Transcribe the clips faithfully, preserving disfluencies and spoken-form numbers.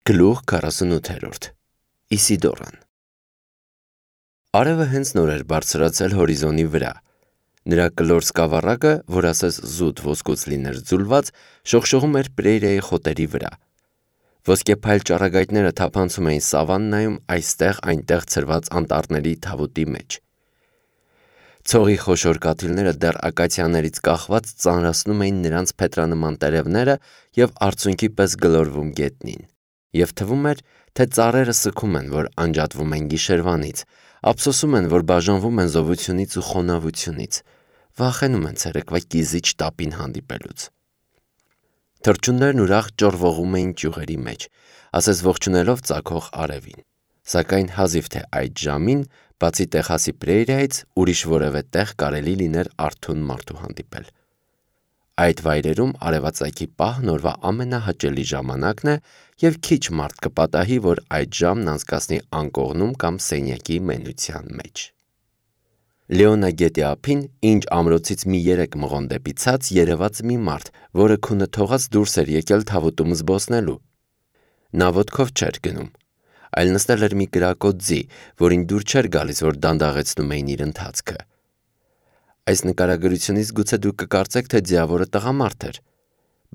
Գլուխ քառասունութերորդ Իսիդորան Արևը հենց նոր էր բարձրացել հորիզոնի վրա։ Նրա կլոր սկավառակը, որ ասես զուտ ոսկուց լիներ ձուլված, շողշողում էր պրերիայի խոտերի վրա։ Ոսկեփայլ ճառագայթները թափանցում էին սավաննայում այստեղ-այնտեղ ցրված անտառների թավուտի մեջ։ Ցողի խոշոր կաթիլները դեռ ակացիաներից կախված ծանրացնում էին նրանց փետրանման տերևները և արցունքի պես գլորվում գետնին։ Եվ թվում էր, թե ծառերը սգում են, որ անջատվում են գիշերվանից, ափսոսում են, որ բաժանվում են զովությունից ու խոնավությունից, վախենում են ցերեկվա կիզիչ տապին հանդիպելուց։ Թռչուններն ուրախ ճոռվողում էին ճյուղերի մեջ, ասես ողջունելով ծագող արևին։ Սակայն հազիվ թե այդ ժամին, բացի Տեխասի պրերիայից, ուրիշ որևէ տեղ կարելի լիներ արթուն մարդու հանդիպել։ Այդ վայրերում արևածագի պահն օրվա ամենահաճելի ժամանակն է և քիչ մարդ կպատահի, որ այդ ժամն անցկացնի անկողնում կամ սենյակի մենության մեջ։ Լեոնա գետի ափին, ինչ ամրոցից մի երեք մղոն դեպի ցած, երևաց մի մարդ, որը քունը թողած դուրս էր եկել թավուտում զբոսնելու։ Նա ոտքով չէր գնում, այլ նստել էր մի կրակոտ ձի, որին դուր չէր գալիս, որ դանդաղեցնում էին իր ընթացքը։ Այս նկարագրությունից գուցե դուք կկարծեք, թե ձիավորը տղամարդ էր,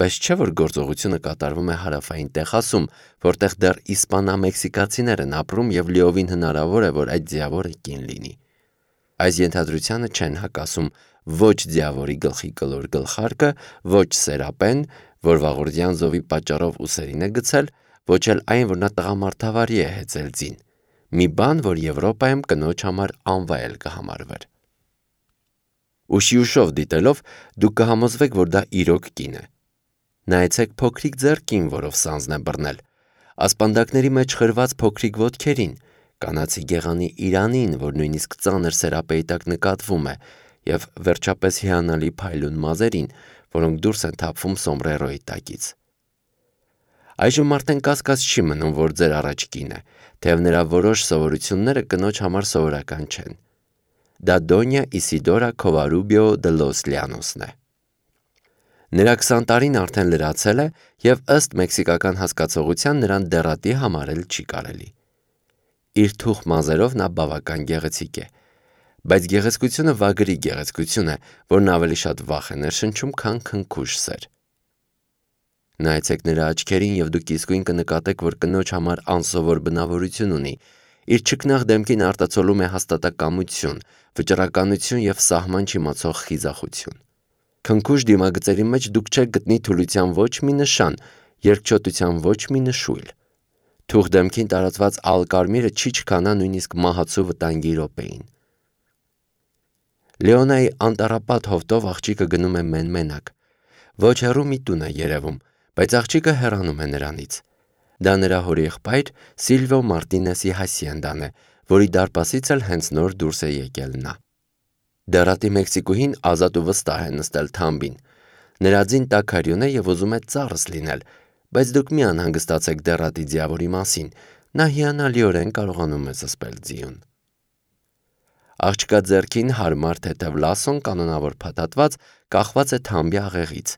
բայց չէ՞ որ գործողությունը կատարվում է հարավային Տեխասում, որտեղ դեռ իսպանա-մեքսիկացիներ են ապրում և լիովին հնարավոր է, որ այդ ձիավորը կին լինի։ Այս ենթադրությանը չեն հակասում ոչ ձիավորի գլխի կլոր գլխարկը, ոչ Սերապեն, որ վաղորդյան զովի պատճառով ուսերին է գցել, ոչ էլ այն, որ նա տղամարդավարի է հեծել ձին, մի բան, որ Եվրոպայում կնոջ համար անվայել կհամարվեր։ Ուշի ուշով դիտելով, դուք կհամոզվեք, որ դա իրոք կին է։ Նայեցեք փոքրիկ ձեռքին, որով սանձն է բռնել, ասպանդակների մեջ խրված փոքրիկ ոտքերին, կանացի գեղանի իրանին, որ նույնիսկ ծանր սերապեի տակ նկատվում է, և վերջապես հիանալի փայլուն մազերին, որոնք դուրս են թափվում սոմբրերոյի տակից։ Այժմ արդեն կասկած չի մնում, որ ձեր առաջ կին է, թեև նրա որոշ սովորությունները կնոջ համար սովորական չեն։ Դա Դոնյա Իսիդորա Քովարուբիո դե լոս Լյանոսն է։ Նրա քսան տարին արդեն լրացել է և ըստ մեքսիկական հասկացողության նրան դեռատի համարել չի կարելի։ Իր թուխ մազերով նա բավական գեղեցիկ է, բայց գեղեցկությունը վագրի գեղեցկություն է, որն ավելի շատ վախ է ներշնչում, քան քնքուշ սեր։ Նայեցեք նրա աչքերին և դուք իսկույն կնկատեք, որ կնոջ համար անսովոր բնավորություն ունի, իր չքնաղ դեմքին արտացոլում է հաստատակամություն, վճռականություն և սահման չիմացող խիզախություն։ Քնքուշ դիմագծերի մեջ դուք չեք գտնի թուլության ոչ մի նշան, երկչոտության ոչ մի նշույլ։ Թուխ դեմքին տարածված ալկարմիրը չի չքանա նույնիսկ մահացու վտանգի րոպեին։ Լեոնայի անտառապատ հովտով աղջիկը գնում է մեն-մենակ։ Ոչ հեռու մի տուն է երևում, բայց աղջիկը հեռանում է նրանից։ Դա նրա հորեղբայր Սիլվիո Մարտինեսի հասիենդան է, որի դարպասից էլ հենց նոր դուրս է եկել նա։ Դեռատի մեքսիկուհին ազատ ու վստահ է նստել թամբին։ Նրա ձին տաքարյուն է և ուզում է ծառս լինել, բայց դուք մի անհանգստացեք դեռատի ձիավորի մասին, նա հիանալիորեն կարողանում է զսպել ձիուն։ Աղջկա ձեռքին հարմար թեթև լասոն կանոնավոր փաթաթված կախված է թամբի աղեղից։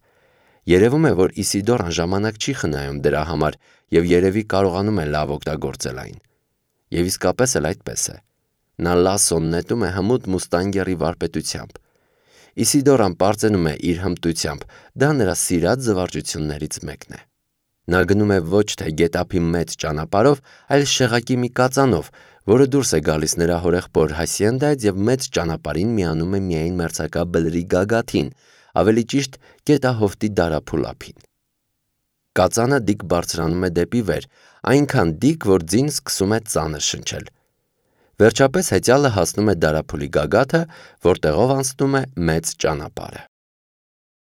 Երևում է, որ Իսիդորան ժամանակ չի խնայում դրա համար և երևի կարողանում է լավ օգտագործել այն։ Եվ իսկապես էլ այդպես է։ Նա լասոն նետում է հմուտ մուստանգերի վարպետությամբ։ Իսիդորան պարծենում է իր հմտությամբ, դա նրա սիրած զվարճություններից մեկն է։ Նա գնում է ոչ թե գետափի մեծ ճանապարհով, այլ շեղակի մի կածանով, որը դուրս է գալիս նրա հորեղբոր հասիենդայից և մեծ ճանապարհին միանում է միայն մերձակա բլրի գագաթին, ավելի ճիշտ գետահովտի դարափուլ ափին։ Կածանը դիք բարձրանում է դեպի վեր, այնքան դիք, որ ձին սկսում է ծանր շնչել։ Վերջապես հեծյալը հասնում է դարափուլի գագաթը, որտեղով անցնում է մեծ ճանապարհը։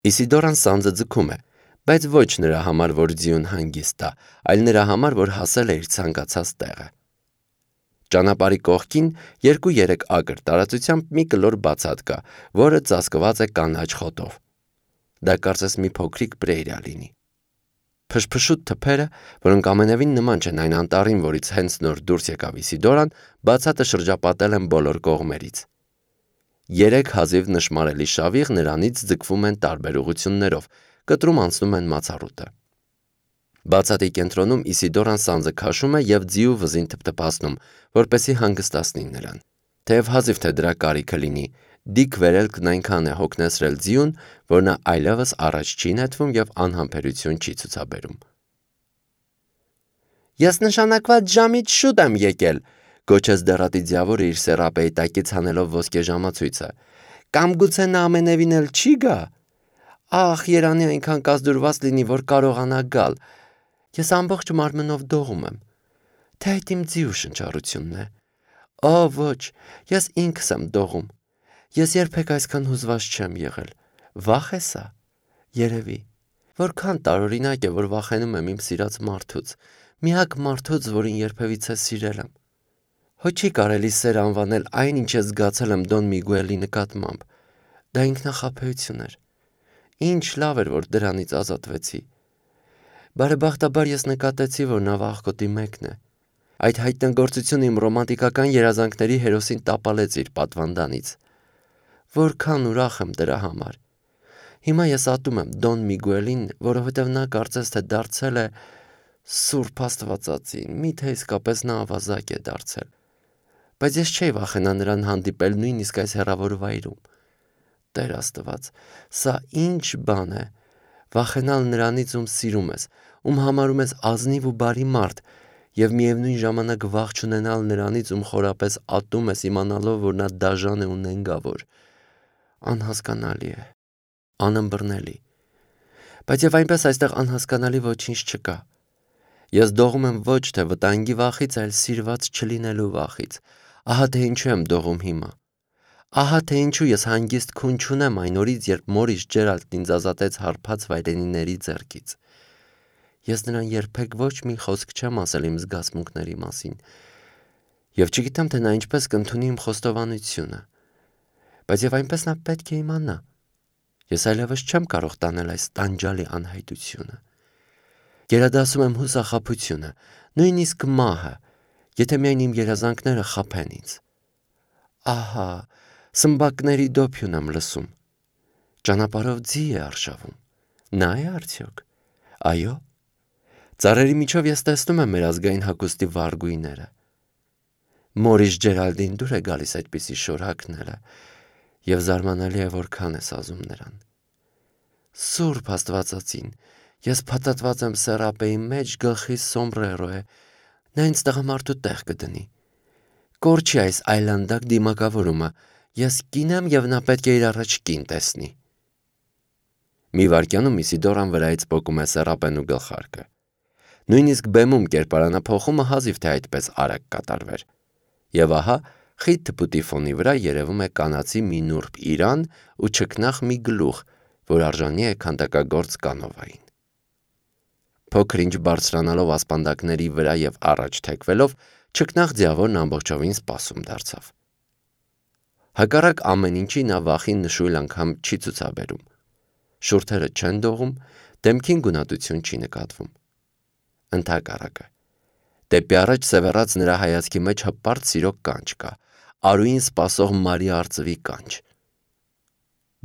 Իսիդորան սանձը ձգում է, բայց ոչ նրա համար, որ ձիուն հանգիստ տա, այլ նրա համար, որ հասել է իր ցանկացած տեղը։ Ճանապարհի կողքին երկու-երեք ակր տարածությամբ մի կլոր բացատ կա, որը ծածկված է կանաչ խոտով։ Դա կարծես մի փոքրիկ պրերիա լինի։ Փշփշուտ թփերը, որոնք ամենևին նման չեն այն անտառին, որից հենց նոր դուրս եկավ Իսիդորան, բացատը շրջապատել են բոլոր կողմերից։ Երեք հազիվ նշմարելի շավիղ նրանից ձգվում են տարբեր ուղղություններով, կտրում անցնում են մացառուտը։ Բացատի կենտրոնում Իսիդորան սանձը քաշում է և ձիու վզին թփթփացնում, որպեսզի հանգստացնի նրան։ Թեև հազիվ թե դրա կարիքը լինի, Դիք վերելքն այնքան է հոգնեցրել ձիուն, որ նա այլևս առաջ չի նետվում և անհամբերություն չի ցուցաբերում։ Ես նշանակված ժամից շուտ եմ եկել, գոչեց դեռատի ձիավորը իր սեռապեի տակից հանելով ոսկե ժամացույցը։ Կամ գուցե նա ամենևին էլ չի գա։ Ախ, երանի այնքան կազդուրված լինի, որ կարողանա գալ։ Ես ամբողջ մարմնով դողում եմ։ Թե այդ իմ ձիու շնչառությունն է։ Օ, ոչ, ես ինքս եմ դողում։ Ես երբեք այսքան հուզված չեմ եղել։ Վախ է սա։ Երևի։ Որքան տարօրինակ է, որ վախենում եմ իմ սիրած մարդուց, միակ մարդուց, որին երբևիցե սիրել եմ։ Հո չի կարելի սեր անվանել այն, ինչ ես զգացել եմ Դոն Միգուելի նկատմամբ։ Դա ինքնախաբեություն էր։ Ինչ լավ էր, որ դրանից ազատվեցի։ Բարեբախտաբար ես նկատեցի, որ նա վախկոտի մեկն է։ Այդ հայտնագործությունը իմ ռոմանտիկական երազանքների հերոսին տապալեց իր պատվանդանից։ Որքան ուրախ եմ դրա համար։ Հիմա ես ատում եմ Դոն Միգուելին, որովհետև նա կարծես թե դարձել է Սուրբ Աստվածածին, միթե իսկապես նա ավազակ է դարձել։ Բայց ես չէի վախենա նրան հանդիպել նույնիսկ այս հեռավոր վայրում։ Տեր Աստված, սա ինչ բան է։ Վախենալ նրանից, ում սիրում ես, ում համարում ես ազնիվ ու բարի մարդ, և միևնույն ժամանակ վախ չունենալ նրանից, ում խորապես ատում ես, իմանալով, որ նա դաժան է ու նենգավոր։ Անհասկանալի է, անըմբռնելի։ Բայց և այնպես այստեղ անհասկանալի ոչինչ չկա։ Ես դողում եմ ոչ թե վտանգի վախից, այլ սիրված չլինելու վախից։ Ահա թե ինչու եմ դողում հիմա։ Ահա թե ինչու ես հանգիստ քուն չունեմ այն օրից, երբ Մորիս Ջերալդն ինձ ազատեց հարբած վայրենիների ձեռքից։ Ես նրան երբեք ոչ մի խոսք չեմ ասել իմ զգացմունքների մասին, և չգիտեմ, թե նա ինչպես կընդունի իմ խոստովանությունը, բայց և այնպես նա պետք է իմանա։ Ես այլևս չեմ կարող տանել այս տանջալի անհայտությունը։ Գերադասում եմ հուսախաբությունը, նույնիսկ մահը, եթե միայն իմ երազանքները խաբեն ինձ։ Ահա, սմբակների դոփյուն եմ լսում։ Ճանապարհով ձի է արշավում։ Նա է արդյոք։ Այո։ Ծառերի միջով ես տեսնում եմ մեր ազգային հագուստի վարգույները։ Մորիս Ջերալդին դուր է գալիս այդպիսի շոր հագնելը, և զարմանալի է, որքան ես ազում նրան։ Սուրբ Աստվածածին, ես փաթաթված եմ սեռապեի մեջ, գլխիս սոմբրերո է, նա ինձ տղամարդու տեղ կդնի։ Կորչի այս այլանդակ դիմակավորումը, ես կին եմ և նա պետք է իր առաջ կին տեսնի։ Մի վայրկյանում Իսիդորան վրայից պոկում է սեռապեն ու գլխարկը։ Նույնիսկ բեմում կերպարանափոխումը հազիվ թե այդպես արագ կատարվեր։ Եվ ահա խիտ թփուտի ֆոնի վրա երևում է կանացի մի նուրբ իրան ու չքնաղ մի գլուխ, որ արժանի է քանդակագործ կանովային։ Փոքր-ինչ բարձրանալով ասպանդակների վրա և առաջ թեքվելով, չքնաղ ձիավորն ամբողջովին սպասում դարձավ։ Հակառակ ամեն ինչի նա վախին նշույլ անգամ չի ցուցաբերում։ Շուրթերը չեն դողում, դեմքին գունատություն չի նկատվում։ Ընդհակառակը, դեպի առաջ սևեռած նրա հայացքի մեջ հպարտ սիրո կանչ կա, արուին սպասող Մարի արծվի կանչ։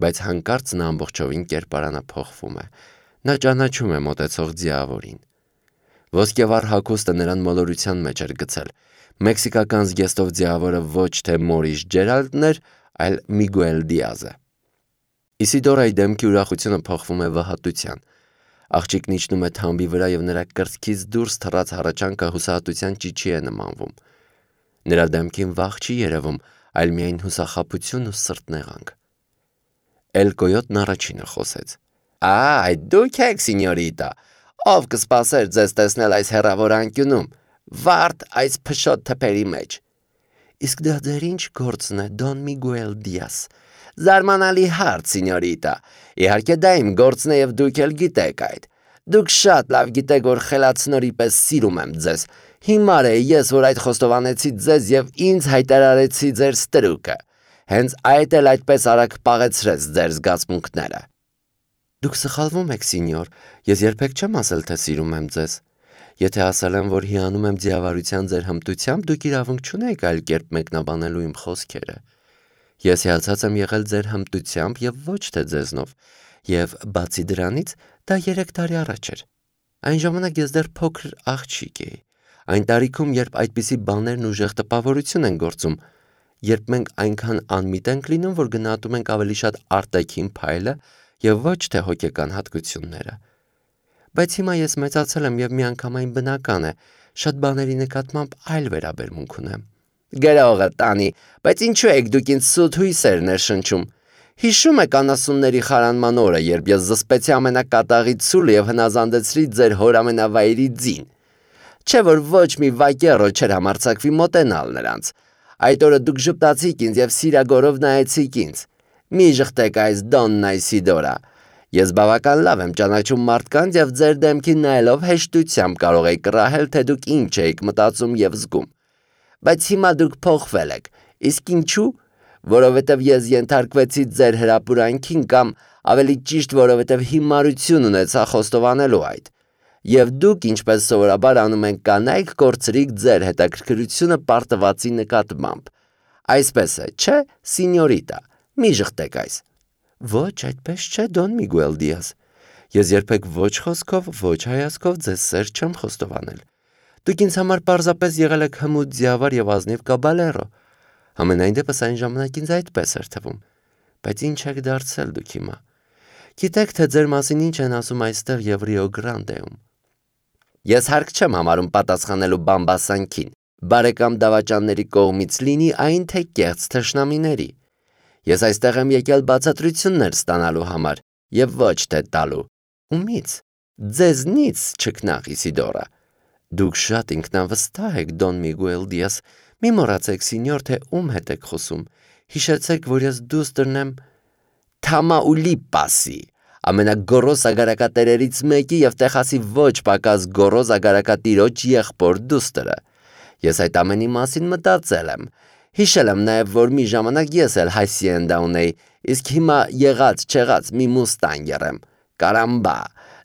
Բայց հանկարծ նա ամբողջովին կերպարանափոխվում է։ Նա ճանաչում է մոտեցող ձիավորին։ Ոսկեվառ հագուստը նրան մոլորության մեջ էր գցել։ Մեքսիկական զգեստով ձիավորը ոչ թե Մորիս Ջերալդն էր, այլ Միգուել Դիազը։ Իսիդորայի դեմքի ուրախությունը փոխվում է վհատության։ Աղջիկն իջնում է թամբի վրա և նրա կրծքից դուրս թռած հառաչանքը հուսահատության ճիչի է նմանվում։ Նրա դեմքին վախ չի երևում, այլ միայն հուսախաբություն ու սրտնեղանք։ Էլ Կոյոտն առաջինը խոսեց. Ա, այդ դուք եք, սինյորիտա, ով կսպասեր ձեզ տեսնել այս հեռավոր անկյունում, վարդ այս փշոտ թփերի մեջ։ Իսկ դա ձեր ինչ գործն է, Դոն Միգուել Դիազ։ Զարմանալի հարց, սինյորիտա։ Իհարկե դա իմ գործն է և դուք էլ գիտեք այդ։ Դուք շատ լավ գիտեք, որ խելացնորի պես սիրում եմ ձեզ։ Հիմար է ես, որ այդ խոստովանեցի ձեզ և ինձ հայտարարեցի ձեր ստրուկը։ Հենց այդ էլ այդպես արագ պաղեցրեց ձեր զգացմունքները։ Դուք սխալվում եք, սինյոր, ես երբեք չեմ ասել, թե սիրում եմ ձեզ։ Եթե ասել եմ, որ հիանում եմ ձիավարության ձեր հմտությամբ, դուք իրավունք չունեք այլ կերպ մեկնաբանելու իմ խոսքերը։ Ես հիացած եմ եղել ձեր հմտությամբ և ոչ թե ձեզնով, և բացի դրանից դա երեք տարի առաջ էր։ Այն ժամանակ ես դեռ փոքր աղջիկ էի։ Այն տարիքում, երբ այդպիսի բաներն ուժեղ տպավորություն են գործում, երբ մենք այնքան անմիտ ենք լինում, որ գնահատում ենք ավելի շատ արտաքին փայլը եւ ոչ թե հոգեկան հատկությունները։ Բայց հիմա ես մեծացել եմ եւ միանգամայն բնական է, շատ բաների նկատմամբ այլ վերաբերմունք ունեմ։ Գրողը տանի, բայց ինչու եք դուք ինձ սուտ հույսեր ներշնչում։ Հիշում եք անասունների խարանման օրը, երբ ես զսպեցի ամենակատաղի ցուլը եւ հնազանդեցրի ձեր հոր ամենավայրի ձին։ Չէ որ ոչ մի վակերո չէր համարձակվի մոտենալ նրանց։ Այդ օրը դուք ժպտացիք ինձ եւ սիրագորով նայեցիք ինձ։ Մի ժխտեք այս Դոննա Իսիդորա։ Ես բավական լավ եմ ճանաչում մարդկանց եւ ձեր դեմքին նայելով հեշտությամբ կարող եք կռահել, թե դուք ինչ եք մտածում եւ զգում։ Բայց հիմա դուք փոխվել եք։ Իսկ ինչու՞։ Որովհետև ես ենթարկվեցի ձեր հրապուրանքին կամ ավելի ճիշտ, որովհետև հիմարություն ունեցա խոստովանելու այդ։ Եվ դուք, ինչպես սովորաբար անում են կանայք, կորցրիք ձեր հետաքրքրությունը պարտվածի նկատմամբ։ Այսպես է, չէ, սինյորիտա, մի ժխտեք այս։ Ոչ, այդպես չէ, Դոն Միգուել Դիազ։ Ես երբեք ոչ խոսքով, ոչ հայացքով ձեզ սեր չեմ խոստովանել։ Դուք ինձ համար պարզապես եղել եք հմուտ ձիավար եւ ազնիվ կաբալերո։ Համենայն դեպս այն ժամանակ ինձ այդպես էր թվում։ Բայց ինչ եք դարձել դուք հիմա։ Գիտեք, թե ձեր մասին ինչ են ասում այստեղ եւ Ռիո Գրանդեում։ Ես հարկ չեմ համարում պատասխանելու բամբասանքին, բարեկամ դավաճանների կողմից լինի այն թե կեղծ թշնամիների։ Ես այստեղ եմ եկել բացատրություններ ստանալու համար եւ ոչ թե տալու։ Ումից։ Ձեզնից չքնաղ Իսիդորա։ Դուք շատ ինքնավստահ եք, Դոն Միգուել Դիազ։ Մի մոռացեք, սինյոր, թե ում հետ եք խոսում։ Հիշեցեք, որ ես դուստրն եմ Թամաուլիպասի, ամենագոռոզ ագարակատերերից մեկի եւ Տեխասի ոչ պակաս գոռոզ ագարակատիրոջ եղբոր դուստրը։ Ես այդ ամենի մասին մտածել եմ։ Հիշել եմ նաեւ, որ մի ժամանակ ես էլ Հասիենդա ունեի, իսկ հիմա եղած չեղած մի մուստանգեր եմ։ Կարամբա,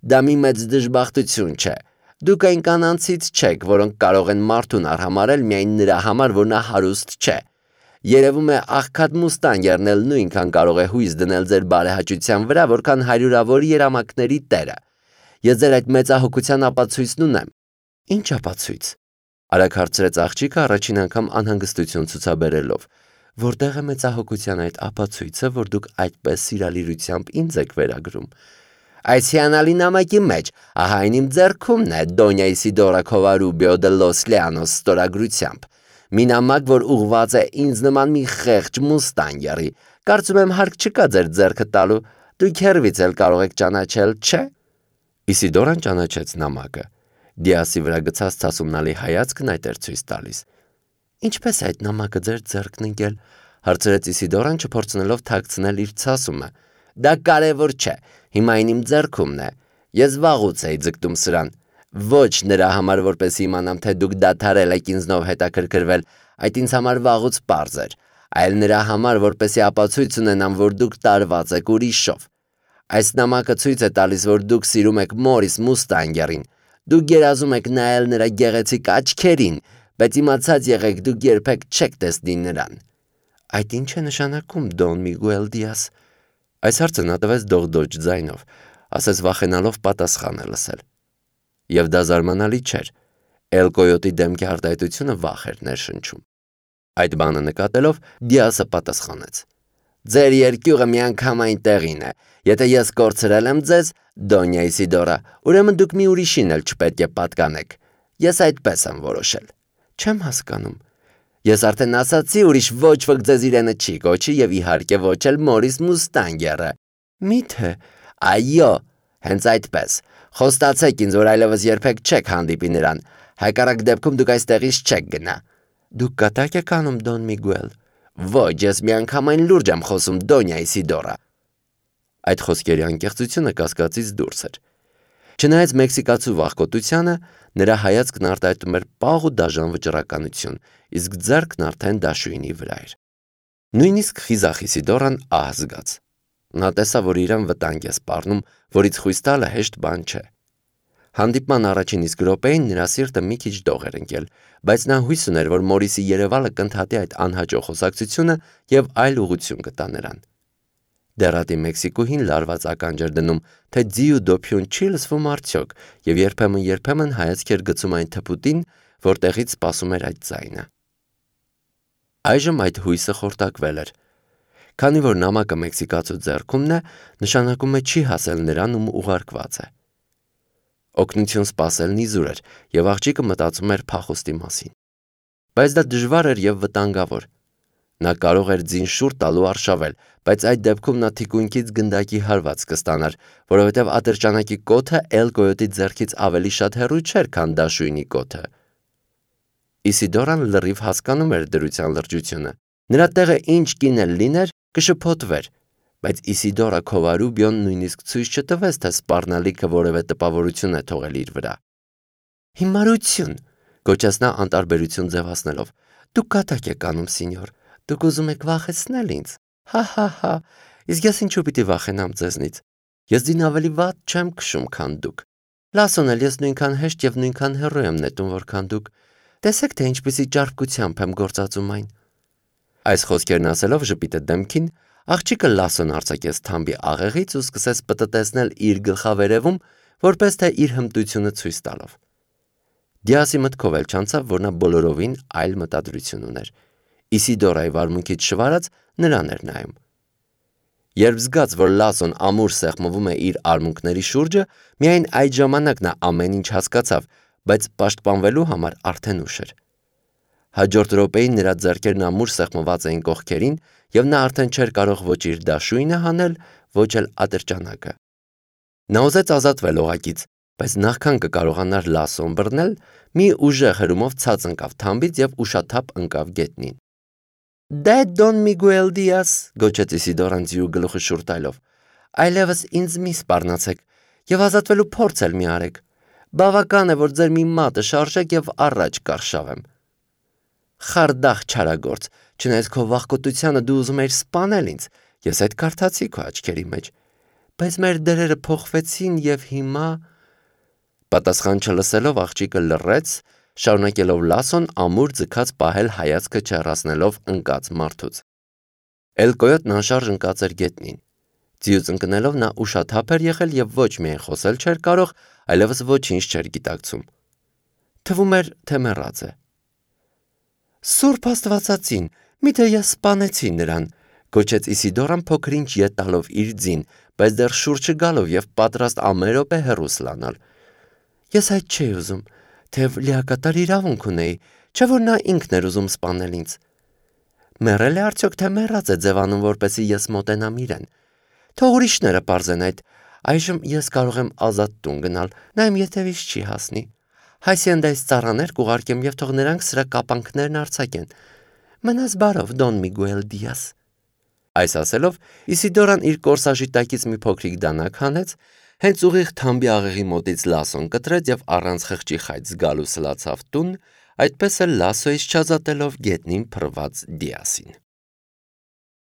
դա մի մեծ դժբախտություն չէ։ Դուք այն կանանցից չեք, որոնք կարող են մարդուն արհամարել միայն նրա համար, որ նա հարուստ չէ։ Երևում է աղքատ մուստանգերն էլ նույնքան կարող է հույս դնել ձեր բարեհաճության վրա, որքան հարյուրավոր երամակների տերը։ Ես ձեր այդ մեծահոգության ապացույցն ունեմ։ Ինչ ապացույց։ Արագ հարցրեց աղջիկը առաջին անգամ անհանգստություն ցուցաբերելով։ Որտեղ է մեծահոգության այդ ապացույցը, որ դուք այդպես սիրալիրությամբ ինձ եք վերագրում։ Այս հիանալի նամակի մեջ, ահա այն իմ ձեռքումն է Դոնյա Իսիդորա Քովարուբիո դե լոս Լեանոս ստորագրությամբ։ Մի նամակ, որ ուղղված է ինձ նման մի խեղճ մուստանգերի։ Կարծում եմ հարկ չկա ձեր ձեռքը տալու։ Դուք հերվից էլ կարող եք ճանաչել, չէ՞։ Իսիդորան ճանաչեց նամակը։ Դիասի վրա գցած ցասումնալի հայացքն այդ էր ցույց տալիս։ Ինչպես է այդ նամակը ձեր ձեռքն ընկել, հարցրեց Իսիդորան, չփորձնելով թաքցնել իր ցասումը։ Դա կարևոր չէ, հիմա այն իմ ձեռքումն է։ Ես վաղուց էի ձգտում սրան։ Ոչ նրա համար, որպեսզի իմանամ, թե դուք դադարել եք ինձնով հետաքրքրվել, այդ ինձ համար վաղուց պարզ էր, այլ նրա համար, որպեսզի ապացույց ունենամ, որ դուք տարված եք ուրիշով։ Այս նամակը ցույց է տալիս, որ դուք սիրում եք Մորիս Մուստանգերին։ Դուք երազում եք նայել նրա գեղեցիկ աչքերին, բայց իմացած եղեք, դուք երբեք չեք տեսնի նրան։ Այդ ինչ է նշանակում, Դոն Միգուել Դիազ։ Այս հարցը նա տվեց դողդոջ ձայնով, ասես վախենալով պատասխանը լսել։ Եվ դա զարմանալի չէր։ Էլ Կոյոտի դեմքի արտահայտությունը վախ էր ներշնչում։ Այդ բանը նկատելով Դիասը պատասխանեց. Ձեր երկյուղը միանգամայն տեղին է։ Եթե ես կորցրել եմ ձեզ, Դոնյա Իսիդորա, ուրեմն դուք մի ուրիշին էլ չպետք է պատկանեք։ Ես այդպես եմ որոշել։ Չեմ հասկանում։ Ես արդեն ասացի, ուրիշ ոչ ոք ձեզ իրենը չի կոչի եւ իհարկե ոչ էլ Մորիս Մուստանգերը։ Մի՞թե։ Այո, հենց այդպես։ Խոստացեք ինձ, որ այլևս երբեք չեք հանդիպի նրան։ Հակառակ դեպքում դուք այստեղից չեք գնա։ Դուք կատակ եք անում, Դոն Միգուել։ Ոչ, ես միանգամայն լուրջ եմ խոսում, Դոնյա Իսիդորա։ Այդ խոսքերի անկեղծությունը կասկածից դուրս էր։ Չնայած մեքսիկացու վախկոտությանը, նրա հայացքն արտահայտում էր պաղ ու դաժան վճռականություն, իսկ ձեռքն արդեն դաշույնի վրա էր։ Նույնիսկ խիզախ Իսիդորան ահ զգաց։ Նա տեսավ, որ իրան վտանգ է սպառնում, որից խույս տալը հեշտ բան չէ։ Հանդիպման առաջին իսկ րոպեին նրա սիրտը մի քիչ դող էր ընկել, բայց նա հույս ուներ, որ Մորիսի երևալը կընդհատի այդ անհաջող խոսակցությունը եւ այլ ուղղություն կտա նրան։ Դեռատի Մեքսիկուհին լարված ականջ էր դնում, թե ձի ու դոփյուն չի լսվում արդյոք, եւ երբեմն-երբեմն հայացք էր գցում այն թփուտին, որտեղից սպասում էր այդ ձայնը։ Այժմ այդ հույսը խորտակվել էր։ Քանի որ նամակը մեքսիկացու ձեռքումն է, նշանակում է չի հասել նրան, ում ուղարկված է։ Օգնություն սպասելն իզուր էր, եւ աղջիկը մտածում էր փախուստի մասին։ Բայց դա դժվար էր եւ վտանգավոր։ Նա կարող էր ձին շուռ տալու արշավել, բայց այդ դեպքում նա թիկունքից գնդակի հարված կստանար, որովհետև ատրճանակի կոթը Էլ Կոյոտի ձեռքից ավելի շատ հեռու չէր, քան դաշույնի կոթը։ Իսիդորան լրիվ հասկանում էր դրության լրջությունը։ Նրա տեղը ինչ կին էլ լիներ, կշփոթվեր, բայց Իսիդորա Քովարուբիոն նույնիսկ ցույց չտվեց, թե սպառնալիքը որևէ տպավորություն է թողել իր վրա։ Հիմարություն, գոչեց նա անտարբերություն ձևացնելով։ Դուք կատակ եք անում, սինյոր, դուք ուզում եք վախեցնել ինձ։ Հա-հա-հա, իսկ ես ինչու պիտի վախենամ ձեզնից։ Ես ձին ավելի վատ չեմ քշում, քան դուք։ Լասոն էլ ես նույնքան հեշտ եւ նույնքան հեռու եմ նետում, որքան դուք։ Տեսեք, թե ինչպիսի ճարպկությամբ եմ գործածում այն։ Այս խոսքերն ասելով ժպիտը դեմքին, աղջիկը Լասոն արձակեց թամբի աղեղից ու սկսեց պտտեցնել իր գլխավերևում, որպես թե իր հմտությունը ցույց տալով։ Դիասի մտքով էլ չանցավ, որ նա բոլորովին այլ մտադրություն ուներ։ Իսիդորայի վարմունքից շվարած նրան էր նայում։ Երբ զգաց, որ Լասոն ամուր սեղմվում է իր արմունկների շուրջը, միայն այդ ժամանակ նա ամեն ինչ հասկացավ, բայց պաշտպանվելու համար արդեն ուշ էր։ Հաջորդ րոպեին նրա ձեռքերն ամուր սեղմված էին կողքերին, եւ նա արդեն չէր կարող ոչ իր դաշույնը հանել, ոչ էլ ատրճանակը։ Նա ուզեց ազատվել օղակից, բայց նախքան կկարողանար Լասոն բռնել, մի ուժեղ հրումով ցած ընկավ թամբից եւ ուշաթափ ընկավ գետնին։ Դե Դոն Միգուել Դիաս, գոչեց Իսիդորան ձիու գլուխը շուռ տալով, այլևս ինձ մի սպառնացեք եւ ազատվելու փորձ էլ մի արեք։ Բավական է, որ ձեր մի մատը շարժեք եւ առաջ կարշավեմ։ Խարդախ չարագործ, չնայած քո վախկոտությանը դու ուզում ես սպանել ինձ, ես այդ կարդացի քո աչքերի մեջ, բայց մեր դերերը փոխվեցին եւ հիմա… Պատասխան չլսելով աղջիկը լռեց, շարունակելով Լասոն ամուր ձգած պահել հայացքը չեռացնելով ընկած մարդուց։ Էլ Կոյոտն անշարժ ընկած էր գետնին։ Ձիուց ընկնելով նա ուշաթափ էր եղել եւ ոչ միայն խոսել չէր կարող, այլևս ոչինչ չէր գիտակցում։ Թվում էր, թե մեռած է։ Սուրբ Աստվածածին, միթե ես սպանեցի նրան, գոչեց Իսիդորան փոքրինչ ետ տալով իր ձին, բայց դեռ շուռ չգալով եւ պատրաստ ամեն րոպե հեռու սլանալ։ Ես այդ չէի ուզում, թեև լիակատար իրավունք ունեի, չէ՞ որ նա ինքն էր ուզում սպանել ինձ։ Մեռել է արդյոք, թե մեռած է ձևանում, որպեսզի ես մոտենամ իրեն։ Թող ուրիշները պարզեն այդ, այժմ ես կարող եմ ազատ տուն գնալ, նա իմ ետևից չի հասնի։ Հայսիենդայից ծառաներ կուղարկեմ եւ թող նրանք սրա կապանքներն արձակեն։ Մնաս բարով, Դոն Միգուել Դիաս։ Այս ասելով Իսիդորան իր կորսաժի տակից մի փոքրիկ դանակ հանեց, հենց ուղիղ թամբի աղեղի մոտից Լասոն կտրեց եւ առանց խղճի խայծ զգալու սլացավ տուն, այդպես էլ Լասոյից չազատելով գետնին փռված Դիասին։